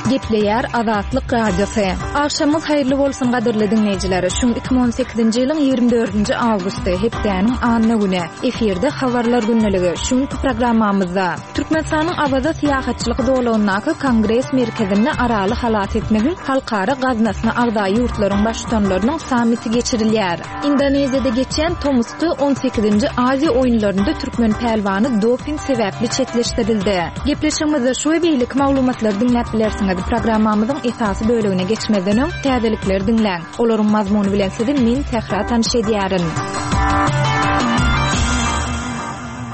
Gepleýär Azatlyk Radiosy. Agşamyňyz haýyrly bolsun gadyrly diňleýjiler. Şu gün 2018-nji ýylyň 24-nji awgusty, hepdäniň anna güni. Efirde Habarlar gündeligi. Şu günki programmamyzda Türkmenistanyň Awaza syýahatçylyk zolagyndaky Kongres merkezinde Araly halas etmegiň halkara gaznasyna agza ýurtlaryň baştutanlarynyň sammiti geçirilýär. Indoneziýada geçýän tomusky on sekizinji Aziýa oýunlarynda türkmen pälwany doping sebäpli çetleşdirildi. Gepleşigimizde şu we beýleki maglumatlary diňläp bilersiňiz. Programmamyzyň esasy bölegine geçmezden öň, täzelikleri diňläň. Olaryň mazmuny bilen sizi men, Sähra tanyş edýärin.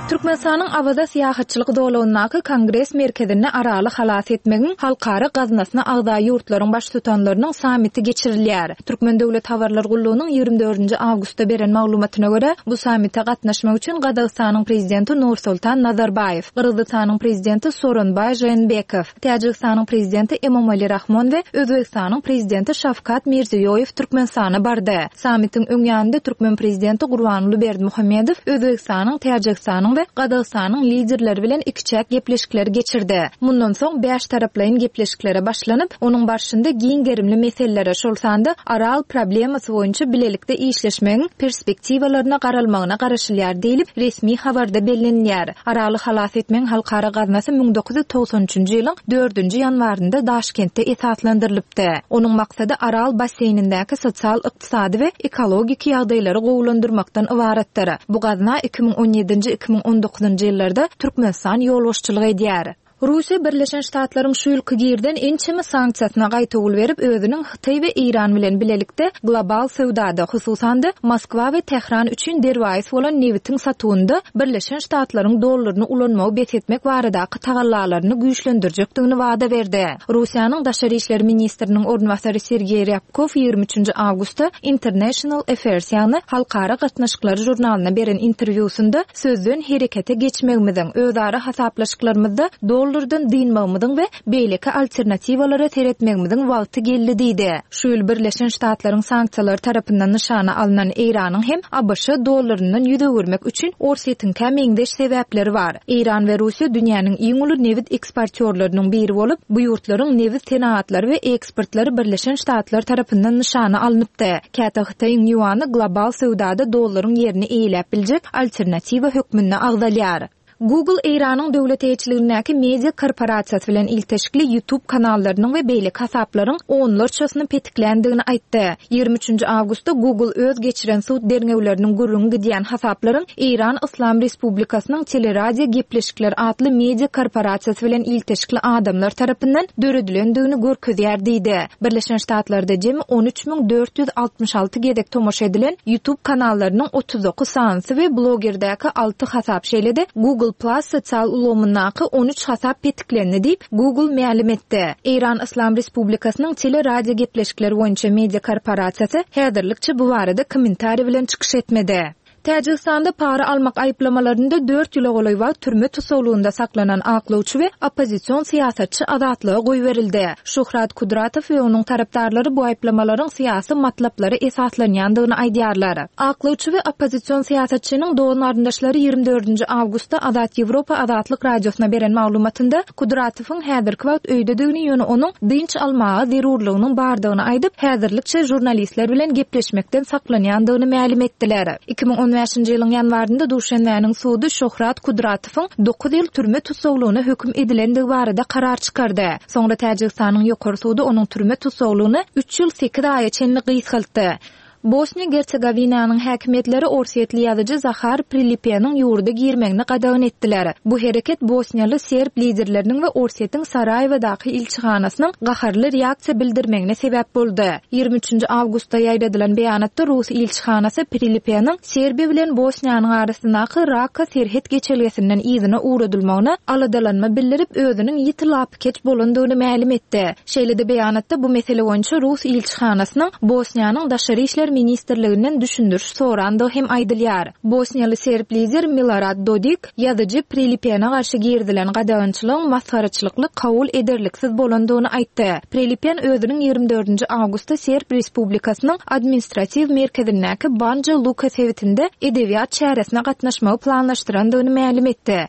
Türkmenistanyň Awaza syýahatçylyk zolagyndaky Kongres merkezinde Araly halas etmegiň halkara gaznasyna agza ýurtlaryň Baştutanlarynyň sammiti geçirilýär. Türkmen döwlet habarlar gullugynyň 24 nji awgustda beren maglumatyna görä, bu sammite gatnaşmak üçin Gazagystanyň Prezidenti Nursultan Nazarbaýew, Gyrgyzystanyň Prezidenti Sooronbaý Žeenbekow, Täjigistanyň Prezidenti Emomali Rahmon we Özbegistanyň Prezidenti Şawkat Mirziýoýew Türkmenistana bardy. Sammitiň öň ýanynda türkmen Prezidenti Gurbanguly Berdimuhamedow Özbegistanyň, Täjigistanyň we Gazagystanyň Liderleri bilen ikiçäk gepleşikleri geçirdi. Mundan soň bäştaraplaýyn gepleşiklere başlanyp, onuň barşynda giň gerimli meselelere, şol sanda Aral problemasy boýunça bilelikde işleşmegiň perspektiwalaryna garalmagyna garaşylýar diýlip, resmi habarda bellenilýär. Araly halas etmegiň halkara gaznasy 1993 üçünji ýylyň dördünji ýanwarynda Daşkentde esaslandyrylypdy. Onuň maksady Aral basseýnindäki sosial-ykdysady we ekologik ýagdaýlary gowulandyrmakdan ybaratdyr. Bu gazna 2017-nji, 2019-njy ýyllarda Türkmenistan ýolbaşçylyk edýär. Russiýa Birleşen Ştatlaryň şu ýylky girizen ençeme sanksiýasyna gaýtawul berip, özüniň Hytaý we Eýran bilen bilelikde global söwdada, hususan-da, Moskwa we Tähran üçin derwaýys bolan nebitiň satuwynda Birleşen Ştatlaryň dollaryny ulanmagy bes etmek baradaky tagallalaryny güýçlendirjekdigini wada berdi. Russiýanyň daşary işler ministriniň orunbasary Sergeý Rýabkow 23 nji awgustda International Affairs, ýagny Halkara gatnaşyklary žurnalyna beren interwýusynda sözden herekete geçmegimiziň, özara hasaplaşyklarymyzda dollardan dynmagymyzyň we beýleki alternatiwalara seretmegimiziň wagty geldi diýdi. Şu ýyl Birleşen Ştatlaryň sanksiýalary tarapyndan nyşana alnan Eýranyň hem ABŞ dollaryndan ýüz öwürmek üçin Orsýetiňkä meňzeş sebäpleri bar. Eýran we Russiýa dünýäniň iň uly nebit eksportýorlarynyň biri bolup, bu ýurtlaryň nebit senagatlary we eksportlary Birleşen Ştatlar tarapyndan nyşana alnypdy. Käte Hytaýyň ýuany global söwdada dollaryň ýerini eýeläp biljek alternatiwa hökmünde agzalýar. Google Eýranyň döwlet eýeçiligindäki media korporasiýasy bilen ilteşikli YouTube kanallarynyň we beýleki hasaplaryň onlarçasyny petikländigini aýtdy. 23 nji awgustda Google öz geçiren sud derňewleriniň gürrüňi gidýän hasaplaryň Eýran Yslam Respublikasynyň Teleradio gepleşikler atly media korporasiýasy bilen ilteşikli adamlar tarapyndan döredilendigini görkezýär diýdi. Birleşen Ştatlarda jemi 13 466 gezek tomaşa edilen YouTube kanallarynyň 39 sanysy we blogerdäki alty hasap, şeýle-de Google Plus sosial ulgamyndaky 13 hasap petiklendi diýip, Google mälim etdi. Eýran Yslam Respublikasynyň tele-radiogepleşikler boýunça media korporasiýasy häzirlikçe bu barada kommentariý bilen çykyş etmedi. Täjigistanda para almak aýyplamalarynda dört ýyla golaý wagt türme tussaglygynda saklanan aklawçy we oppozision syýasatçy azatlyga goýberildi. Şuhrat Kudratow we onuň tarapdarlary bu aýyplamalaryň syýasy matlaplara esaslanýandygyny aýdýarlar. Aklawçy we oppozision syýasatçynyň dogan-garyndaşlary 24 nji awgustda Azat Ýewropa Azatlyk Radiosyna beren maglumatynda Kudratowyň häzirki wagt öýdedigini, ýöne onuň dynç almaga zerurlygynyň bardygyny aýdyp, häzirlikçe žurnalistler bilen gepleşmekden saklanýandygyny mälim etdiler. 2015-nji ýylyň ýanwarynda Duşenbäniň sudy Şohrat Kudratowyň dokuz ýyl türme tussaglygyna höküm edilendigi barada karar çykardy. Soňra Täjigistanyň Ýokary sudy onuň türme tussaglygyny üç ýyl sekiz aýa çenli gysgaltdy. Bosniýa-Gersegowinanyň häkimiýetleri orsýetli ýazyjy Zahar Prilipeniň ýurda girmegini gadagan etdiler. Bu hereket bosniýaly serb liderleriniň we Orsýetiň Saraýewadaky ilçihanasynyň gaharly reaksiýa bildirmegine sebäp boldy. 23 nji awgustda ýaýradylan beýanatda rus ilçihanasy Prilipeniň Serbiýa bilen Bosniýanyň arasyndaky Raka serhet geçelgesinden yzyna ugradylmagyna aladalanma bildirip, özüniň ýiti lapykeç bolandygyny mälim etdi. Şeýle-de beýanatda bu mesele boýunça rus ilçihanasynyň Bosniýanyň Daşary işler ministrliginden düşündiriş sorandygy hem aýdylýar. Bosniýaly serb lider Milorad Dodik ýazyjy Prelipene garşy girizilen gadagançylygyň masgaraçylykly kabul ederliksiz bolandygyny aýtdy. Prelipen özüniň 24 nji awgustda Serb Respublikasynyň administratiw merkezindäki Banja Luka sebitinde edebiýat çäresine gatnaşmagy planlaşdyrandygyny mälim etdi.